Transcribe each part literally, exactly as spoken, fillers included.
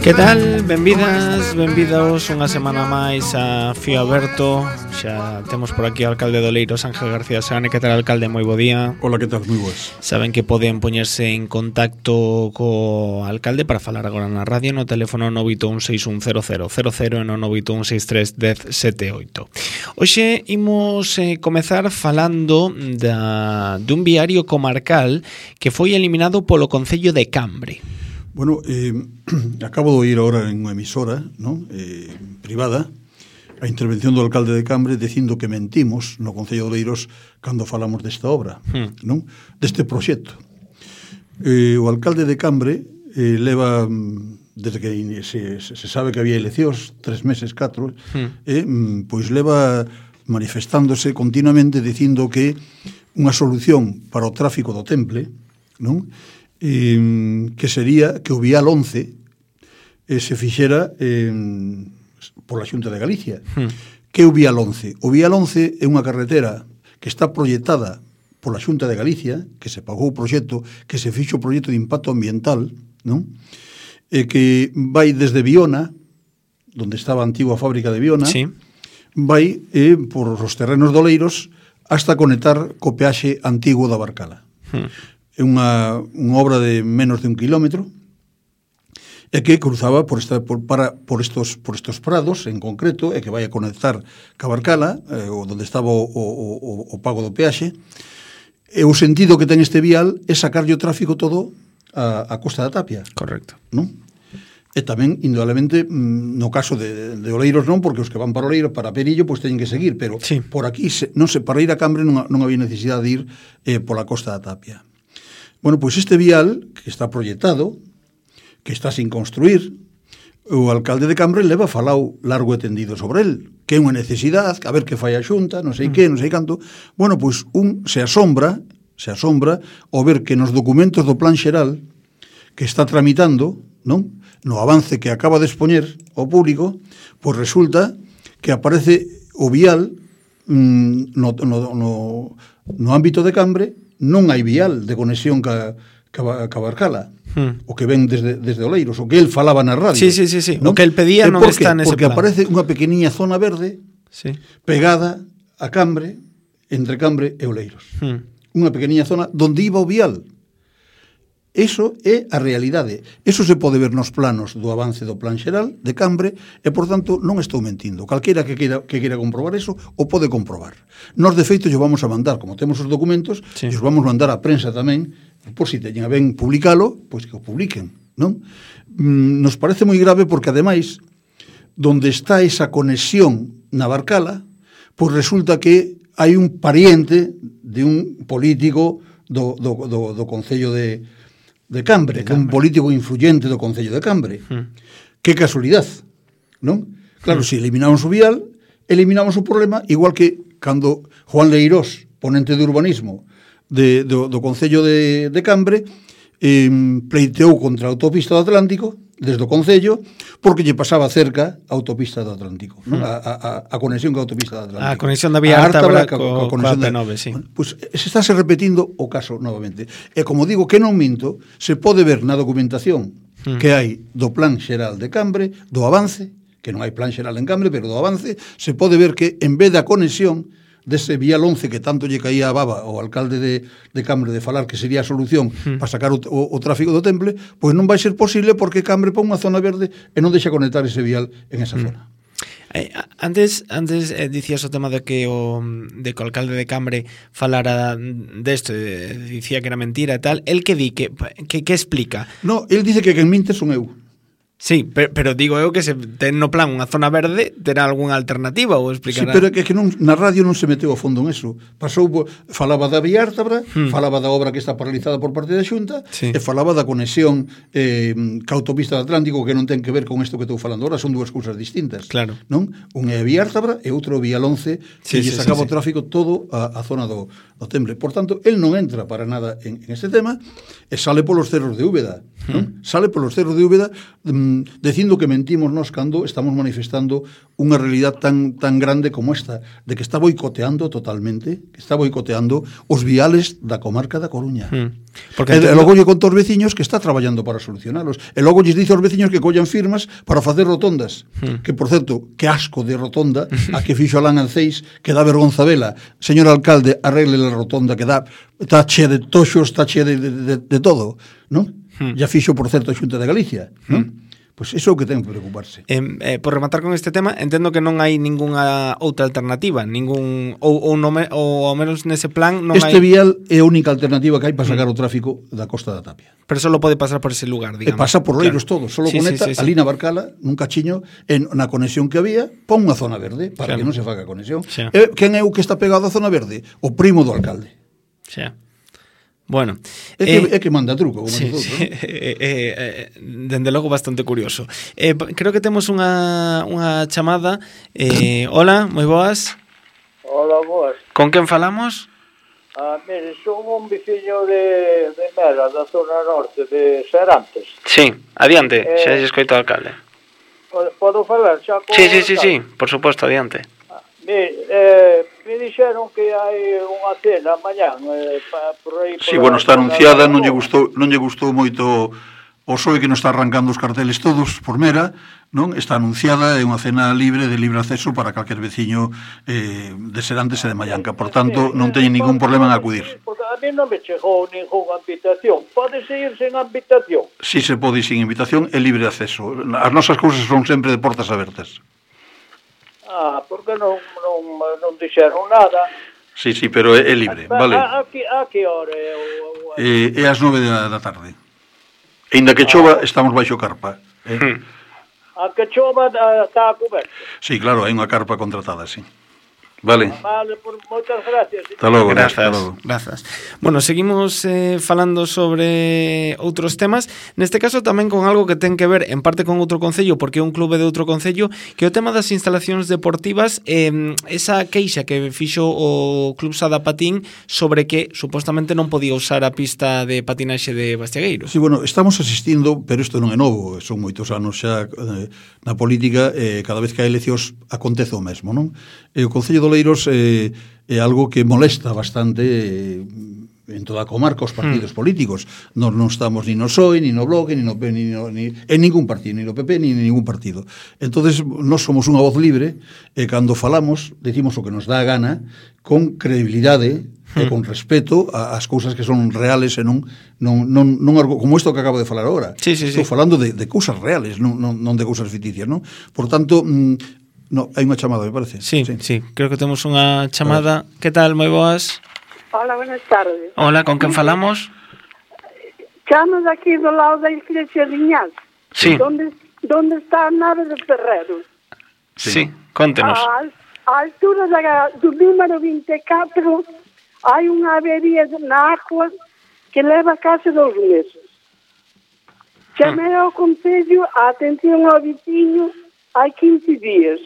Que tal? Benvidas, benvidos unha semana máis a Fío Aberto. Xa temos por aquí o alcalde de Oleiros, Ángel García Seane. Que tal, alcalde? Moi bo día. Hola, que tal? Moi boas. Saben que poden poñerse en contacto co alcalde para falar agora na radio no teléfono nove oito un seis un cero cero cero cero e no nove oito un seis tres un cero sete oito. Hoxe imos eh, comezar falando da, dun viario comarcal que foi eliminado polo Concello de Cambre. Bueno, eh, acabo de oír ahora en unha emisora, ¿no? eh, privada, a intervención do alcalde de Cambre dicindo que mentimos no Concello de Oleiros cando falamos desta obra, hmm. non? Deste proxecto. Eh, o alcalde de Cambre eh, leva, desde que se, se sabe que había eleccións, tres meses, catro, hmm. eh, pois leva manifestándose continuamente dicindo que unha solución para o tráfico do Temple, non? Eh, que sería que o Vial once eh, se fixera eh, pola Xunta de Galicia. Hmm. Que é o Vial once? O Vial once é unha carretera que está proyectada pola Xunta de Galicia, que se pagou o proxecto, que se fixo o proxecto de impacto ambiental, non? E que vai desde Viona, onde estaba a antigua fábrica de Viona, sí. vai eh, por os terrenos de Oleiros hasta conectar co peaxe antigo da Barcala. Hmm. É unha, unha obra de menos de un kilómetro e que cruzaba por, esta, por, para, por, estos, por estos prados en concreto e que vai a conectar ca Barcala, eh, onde estaba o, o, o, o pago do peaxe, e o sentido que ten este vial é sacarlle o tráfico todo a, a Costa da Tapia. Correcto. Non? E tamén, indudablemente, no caso de, de Oleiros non, porque os que van para Oleiros, para Perillo, pois teñen que seguir, pero sí. por aquí, se, non se, para ir a Cambre non, non había necesidade de ir eh, pola Costa da Tapia. Bueno, pois este vial, que está proyectado, que está sin construir, o alcalde de Cambre leva falado largo e tendido sobre el, que é unha necesidade, a ver que fai a Xunta, non sei mm. que, non sei canto. Bueno, pois un se asombra, se asombra ao ver que nos documentos do Plan Xeral que está tramitando, non? No avance que acaba de expoñer ao público, pois resulta que aparece o vial mmm, no, no, no, no ámbito de Cambre. Non hai vial de conexión ca, ca, ca Barcala, hmm. o que ven desde, desde Oleiros, o que el falaba na radio. Sí, sí, sí, sí. ¿no? O que el pedía non está nese Porque plan. Aparece unha pequeniña zona verde sí. pegada a Cambre, entre Cambre e Oleiros. Hmm. Unha pequeniña zona donde iba o vial. Eso é a realidade. Eso se pode ver nos planos do avance do Plan Xeral de Cambre e, por tanto, non estou mentindo. Calquera que queira, que queira comprobar eso, o pode comprobar. Nos, de feito, yo vamos a mandar, como temos os documentos, sí. os vamos mandar a prensa tamén, por si teñen a ben publicalo, pois que o publiquen, non? Mm, nos parece moi grave porque, ademais, donde está esa conexión na Barcala, pois resulta que hai un pariente de un político do, do, do, do Concello de de Cambre, de Cambre. Un político influyente do Concello de Cambre. Hmm. Que casualidade, non? Claro, hmm. se eliminamos o vial, eliminamos o problema, igual que cando Juan Leirós, ponente de urbanismo de, do, do Concello de, de Cambre, eh, pleiteou contra a autopista do Atlántico, desde o Concello, porque lle pasaba cerca a autopista do Atlántico, non? A, a, a conexión ca autopista do Atlántico. A conexión da vía Ártabra co, co a P nove, sí. Bueno, pues se estáse repetindo o caso novamente. E como digo, que non minto, se pode ver na documentación hmm. que hai do Plan Xeral de Cambre, do avance, que non hai Plan Xeral en Cambre, pero do avance, se pode ver que en vez da conexión dese vial once que tanto lle caía a baba ao alcalde de, de Cambre de falar que sería a solución hmm. para sacar o, o, o tráfico do Temple, pois non vai ser posible porque Cambre pon unha zona verde e non deixa conectar ese vial en esa hmm. zona. Eh, antes antes eh, dicías o tema de que o de que o alcalde de Cambre falara desto, de, dicía que era mentira e tal. El que di que que que explica? No, el dice que quen minte son eu. Sí, pero, pero digo eu que se ten no plan unha zona verde, terá algunha alternativa ou explicará? Sí, pero é que non, na radio non se meteu a fondo en eso. Pasou, falaba da vía Ártabra, hmm. falaba da obra que está paralizada por parte da Xunta, sí. e falaba da conexión eh, ca autopista do Atlántico, que non ten que ver con isto que estou falando ahora, son dúas cousas distintas. Claro. Non? Un é a vía Ártabra e outro vía once, que sí, lle sí, sacaba sí, o tráfico sí. todo a, a zona do, do Temple. Por tanto, el non entra para nada en, en este tema, e sale polos cerros de Úbeda. non? Sale polos cerros de Úbeda mm, dicindo que mentimos nós cando estamos manifestando unha realidad tan tan grande como esta, de que está boicoteando totalmente, que está boicoteando os viales da comarca da Coruña. Mm. Porque e, entendo... e logo lle conta aos veciños que está traballando para solucionalos. E logo lles dice aos veciños que collan firmas para facer rotondas. Mm. Que, por certo, que asco de rotonda a que fixo Alán Alceis, que dá vergonza vela. Señor alcalde, arregle a rotonda que dá, está chea de toxos, está chea de, de, de, de todo, non? Hmm. Ya fixo, por certo, a Xunta de Galicia, non? Hmm. Pois iso é o que ten que preocuparse. Eh, eh, por rematar con este tema, entendo que non hai ningunha outra alternativa, ningún ou, ou, no me, ou ao menos nese plan non este hai... vial é a única alternativa que hai para sacar hmm. o tráfico da Costa da Tapia. Pero solo pode pasar por ese lugar, digamos. E pasa por Leiros claro. Todo, solo sí, conecta sí, sí, sí. ali na Barcala, nun cachiño, en, na conexión que había, pon unha zona verde, para claro. que non se faga conexión. Sí. E, quen é o que está pegado á zona verde? O primo do alcalde. Sí. Bueno, é que, eh, é que manda truco, como sí, sí, ¿no? eh, eh, eh, dende logo bastante curioso. Eh, creo que temos unha, unha chamada. Eh, hola, moi boas. Hola, boas. Con quen falamos? Ah, mire, son un veciño de, de Mera, da zona norte, de Serantes. Sí, adiante, eh, xa se escoito ao alcalde. Podo falar xa con Sí, sí, sí, sí, por suposto, adiante. Ah, mire, eh, me dixeron que hai unha cena mañán eh, pa, por aí... Sí, bueno, está anunciada, non lle gustou, non lle gustou moito o P S O E que non está arrancando os carteles todos por Mera, non? Está anunciada, é unha cena libre de libre acceso para calquer veciño eh, de Serantes e de Mallanca, por tanto, non teñen ningún problema en acudir. Porque a mí non me chegou ninguna invitación. Pode seguir sen invitación? Sí, se pode ir sin invitación, é libre acceso. As nosas cousas son sempre de portas abertas. Ah, porque non, non, non dixeron nada. Sí, sí, pero é, é libre, a, vale. A, a, que, a que hora é? O, o... Eh, é ás nove da, da tarde. E inda que chova, ah. estamos baixo carpa. Eh? Hmm. A que chova está a coberto? Sí, claro, hai unha carpa contratada, sí. Vale. Vale, por moitas gracias. Hasta logo. Grazas, grazas. Bueno, seguimos eh, falando sobre outros temas. Neste caso tamén con algo que ten que ver en parte con outro concello, porque é un clube de outro concello, que é o tema das instalacións deportivas, eh, esa queixa que fixo o Club Sada Patín sobre que supostamente non podía usar a pista de patinaxe de Bastiagueiro. Sí, bueno, estamos asistindo, pero isto non é novo, son moitos anos xa eh, na política, eh, cada vez que hai eleccións acontece o mesmo, non? E o Concello do Leiros eh, é algo que molesta bastante eh, en toda a comarca os partidos mm. políticos. Nós non estamos ni no P S O E, ni no Bloque, ni no P, ni, no, ni en ningún partido, ni no P P, ni en ningún partido. Entonces, nós somos unha voz libre e cando falamos, decimos o que nos dá a gana con credibilidade e con respeto ás cousas que son reales e non, non, non, non como isto que acabo de falar agora. Sí, sí, Estou sí. falando de, de cousas reales, non, non, non de cousas ficticias, non? Por tanto, mm, no, hai unha chamada, me parece. Sí, sí, sí, creo que temos unha chamada. Que tal, moi boas? Hola, buenas tardes. Hola, con quen falamos? Chamo de aquí do lado da iglesia de Iñaz. Sí. Donde, donde está a nave de Ferreros. Sí, sí, contenos. A, a altura da, do número vinte e catro hai unha avería na agua que leva case dos meses. Chamei ao concello a atención ao veciño hai quince días.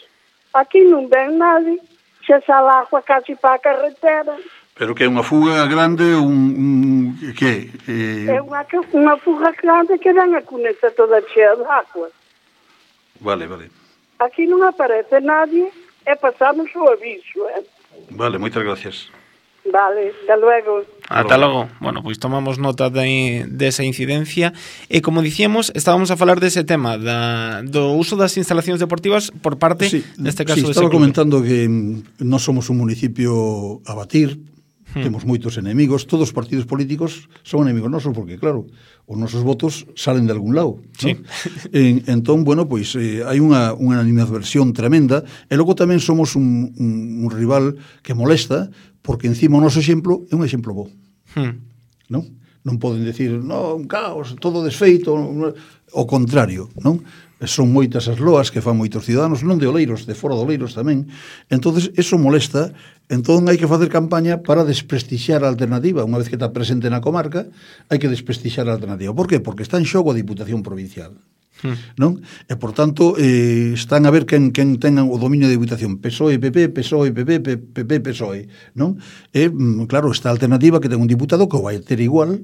Aquí non ven nadie, xa sale agua casi para a carretera. Pero que é unha fuga grande, un, un que eh... é unha, unha fuga grande que ven a cuneta toda chea de agua. Vale, vale. Aquí non aparece nadie e pasamos o aviso, eh? Vale, moitas gracias. Vale, hasta luego. Ata logo. Bueno, pois tomamos nota de, de esa incidencia e, como dicíamos, estábamos a falar dese tema da, do uso das instalacións deportivas por parte, sí, neste caso, sí, dese estaba clube. comentando que nós somos un municipio a batir, hmm. temos moitos enemigos, todos os partidos políticos son enemigos nosos, porque, claro, os nosos votos salen de algún lado, sí. ¿no? en, entón, bueno, pois eh, hai unha, unha animadversión tremenda, e logo tamén somos un, un, un rival que molesta, porque encima o noso exemplo é un exemplo bo. Hmm. Non? Non poden decir, no, un caos, todo desfeito, o contrario, non? Son moitas as loas que fan moitos ciudadanos, non de Oleiros, de fora de Oleiros tamén. Entonces, eso molesta, entón hai que facer campaña para desprestixiar a alternativa. Unha vez que está presente na comarca, hai que desprestixiar a alternativa. Por que? Porque está en xogo a Diputación Provincial. Hmm. Non? E, por tanto, eh, están a ver quen, quen tengan o dominio de Diputación. P S O E, P P, P S O E, P P, P P, P S O E. Non? E, claro, esta alternativa que ten un diputado que o vai ter igual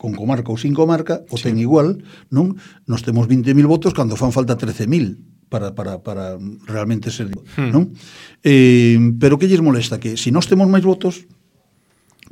con comarca ou sin comarca, o sí. ten igual, non? Nos temos vinte mil votos cando fan falta trece mil para, para, para realmente ser, hmm. non? Eh, pero que lles molesta? Que se nós temos máis votos,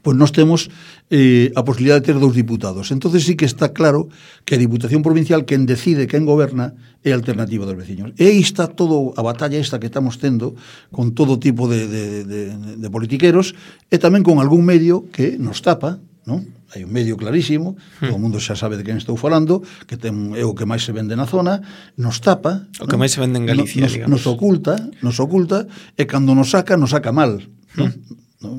pois nós temos eh, a posibilidade de ter dous diputados. Entonces sí que está claro que a Diputación Provincial, quen decide, quen goberna, é a Alternativa dos Veciños. E aí está todo a batalla esta que estamos tendo con todo tipo de, de, de, de politiqueros e tamén con algún medio que nos tapa, non? Hai un medio clarísimo, hmm. todo o mundo xa sabe de quen estou falando, que ten, é o que máis se vende na zona, nos tapa, o que non? máis se vende en Galicia, nos, nos oculta, nos oculta, e cando nos saca, nos saca mal, non? Hmm. non?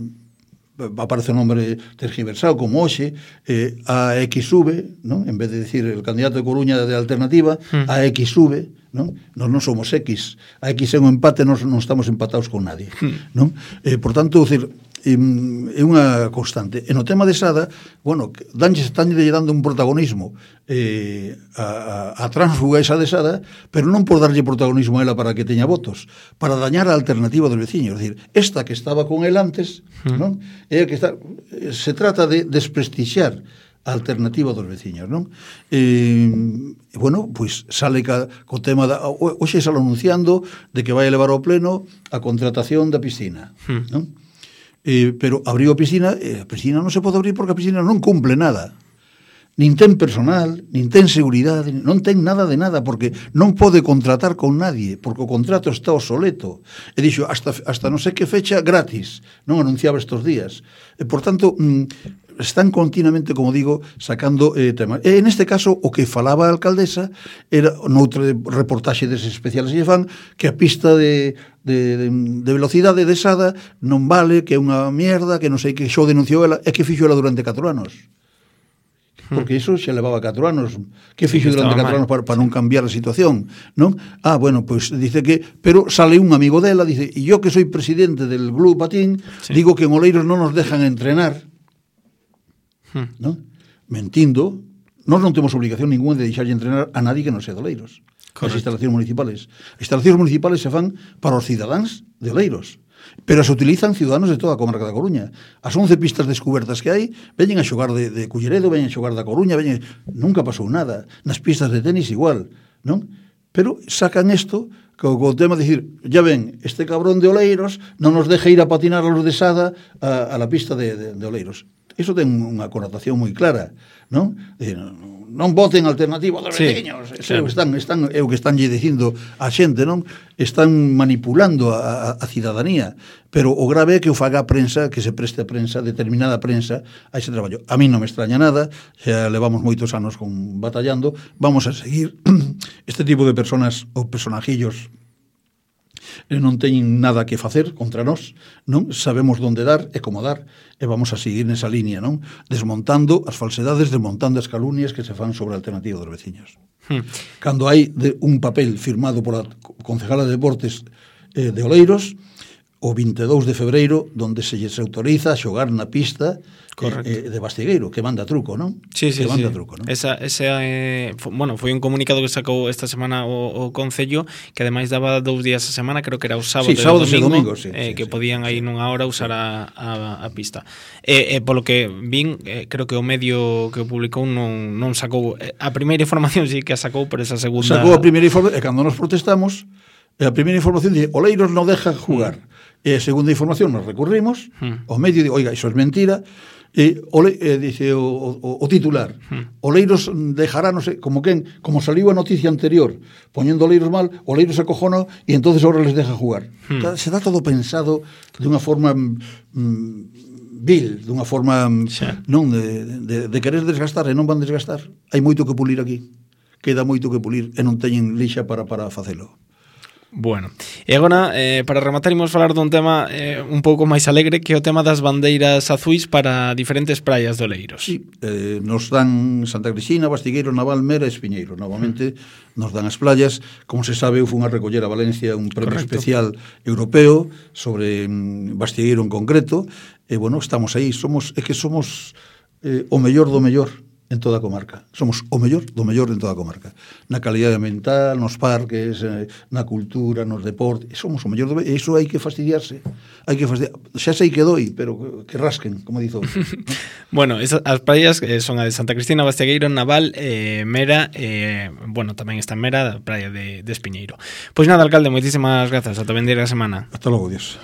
Aparece o nombre tergiversado como hoxe, eh, a X V, non? En vez de decir el candidato de Coruña de Alternativa, hmm. a X V, non? Nos non somos X, a X é un empate, nos non estamos empatados con nadie, hmm. non? Eh, por tanto, decir, é unha constante. E no tema de Sada, bueno, danlle están dando un protagonismo eh, a, a, a transfuga esa de Sada, pero non por darlle protagonismo a ela para que teña votos, para dañar a Alternativa dos Veciños. É dicir, esta que estaba con el antes, mm. non? É que está, se trata de desprestixiar a Alternativa dos Veciños, non? E, bueno, pois sale ca, co tema da, hoxe sale anunciando de que vai elevar ao pleno a contratación da piscina, mm. non? Eh, pero abriu a piscina, e a piscina non se pode abrir porque a piscina non cumple nada, nin ten personal, nin ten seguridade, non ten nada de nada, porque non pode contratar con nadie, porque o contrato está obsoleto, e dixo hasta, hasta non sei que fecha gratis, non anunciaba estes días, e por tanto mm, están continuamente, como digo, sacando eh, temas. E en este caso, o que falaba a alcaldesa era noutra reportaxe deses especiales que fan, que a pista de De, de, de velocidade de Sada non vale, que é unha mierda, que non sei que xo denunciou ela, é que fixo ela durante catro anos. Porque iso xa levaba catro anos. Que fixo sí, durante catro anos para, para non cambiar a situación, non? Ah, bueno, pois pues, dice que, pero sale un amigo dela, dice, e yo que soy presidente del Club Patín, sí. digo que en Oleiros non nos dejan entrenar, hmm. non? Mentindo, nós non temos obligación ninguna de deixarlle entrenar a nadie que non sea de Oleiros. Correcto. As instalacións municipales. As instalacións municipales se fan para os cidadáns de Oleiros, pero se utilizan ciudadanos de toda a comarca da Coruña. As once pistas descubertas que hai, veñen a xogar de, de Culleredo, veñen a xogar da Coruña, veñen... nunca pasou nada. Nas pistas de tenis igual, non? Pero sacan isto co, co tema de dicir, ya ven, este cabrón de Oleiros non nos deja ir a patinar a los de Sada a, a la pista de, de, de Oleiros. Iso ten unha connotación moi clara, non? De, non voten Alternativa dos Veciños, sí, claro. están, están, é o que están lle dicindo a xente, non? Están manipulando a, a, a cidadanía, pero o grave é que o faga a prensa, que se preste a prensa, determinada prensa, a ese traballo. A mí non me extraña nada, xa levamos moitos anos con batallando, vamos a seguir este tipo de personas ou personajillos non teñen nada que facer contra nós, non? Sabemos onde dar e como dar, e vamos a seguir nesa línea, non? Desmontando as falsedades, desmontando as calumnias que se fan sobre a Alternativa dos Veciños. Hmm. Cando hai de un papel firmado por a concejala de Deportes eh, de Oleiros, o vinte e dous de febreiro, donde se lles autoriza a xogar na pista eh, de Bastigueiro, que manda truco, non? Sí, sí, que manda sí. truco, non? Esa, ese, eh, bueno, foi un comunicado que sacou esta semana o, o Concello, que ademais daba dous días a semana, creo que era o sábado, sí, sábado e o domingo, domingo sí, eh, sí, que sí, podían sí, aí sí. nunha hora usar a, a, a pista. E eh, eh, polo que vin, eh, creo que o medio que o publicou non, non sacou, eh, a primeira información sí que a sacou, pero esa segunda... Sacou a primeira información, e cando nos protestamos, a primeira información dice, Oleiros non deja jugar. Mm. E a segunda información nos recurrimos, hmm. o medio, oiga, iso é mentira, e ole, eh, dice o, o, o titular, hmm. Oleiros dejará, no sé, como quen, como saliu a noticia anterior, poñendo Oleiros mal, Oleiros se acojonó e entonces ahora les deja jugar. Hmm. Se dá todo pensado de unha forma mm, vil, dunha forma sí. non de, de, de querer desgastar, e non van desgastar. Hai moito que pulir aquí, queda moito que pulir, e non teñen lixa para, para facelo. Bueno, e agora, eh, para rematar, imos falar dun tema eh, un pouco máis alegre, que é o tema das bandeiras azuis para diferentes praias de Oleiros. Sí, eh, nos dan Santa Cristina, Bastigueiro, Naval, Mera e Espiñeiro. Novamente mm. nos dan as playas. Como se sabe, eu fui a recoller a Valencia un premio Correcto. Especial europeo sobre mm, Bastigueiro en concreto. E, bueno, estamos aí. Somos, é que somos eh, o mellor do mellor en toda a comarca. Somos o mellor do mellor en toda a comarca. Na calidade mental, nos parques, eh, na cultura, nos deportes. Somos o mellor do mellor. E iso hai que fastidiarse. Hai que fastidiar. Xa sei que doi, pero que rasquen, como dizo. Bueno, esas, as praias eh, son a de Santa Cristina, Bastiagueiro, Naval, eh, Mera, eh, bueno, tamén está en Mera, a praia de, de Espiñeiro. Pois nada, alcalde, moitísimas grazas. Ata vendeira a semana. Hasta logo, Dios.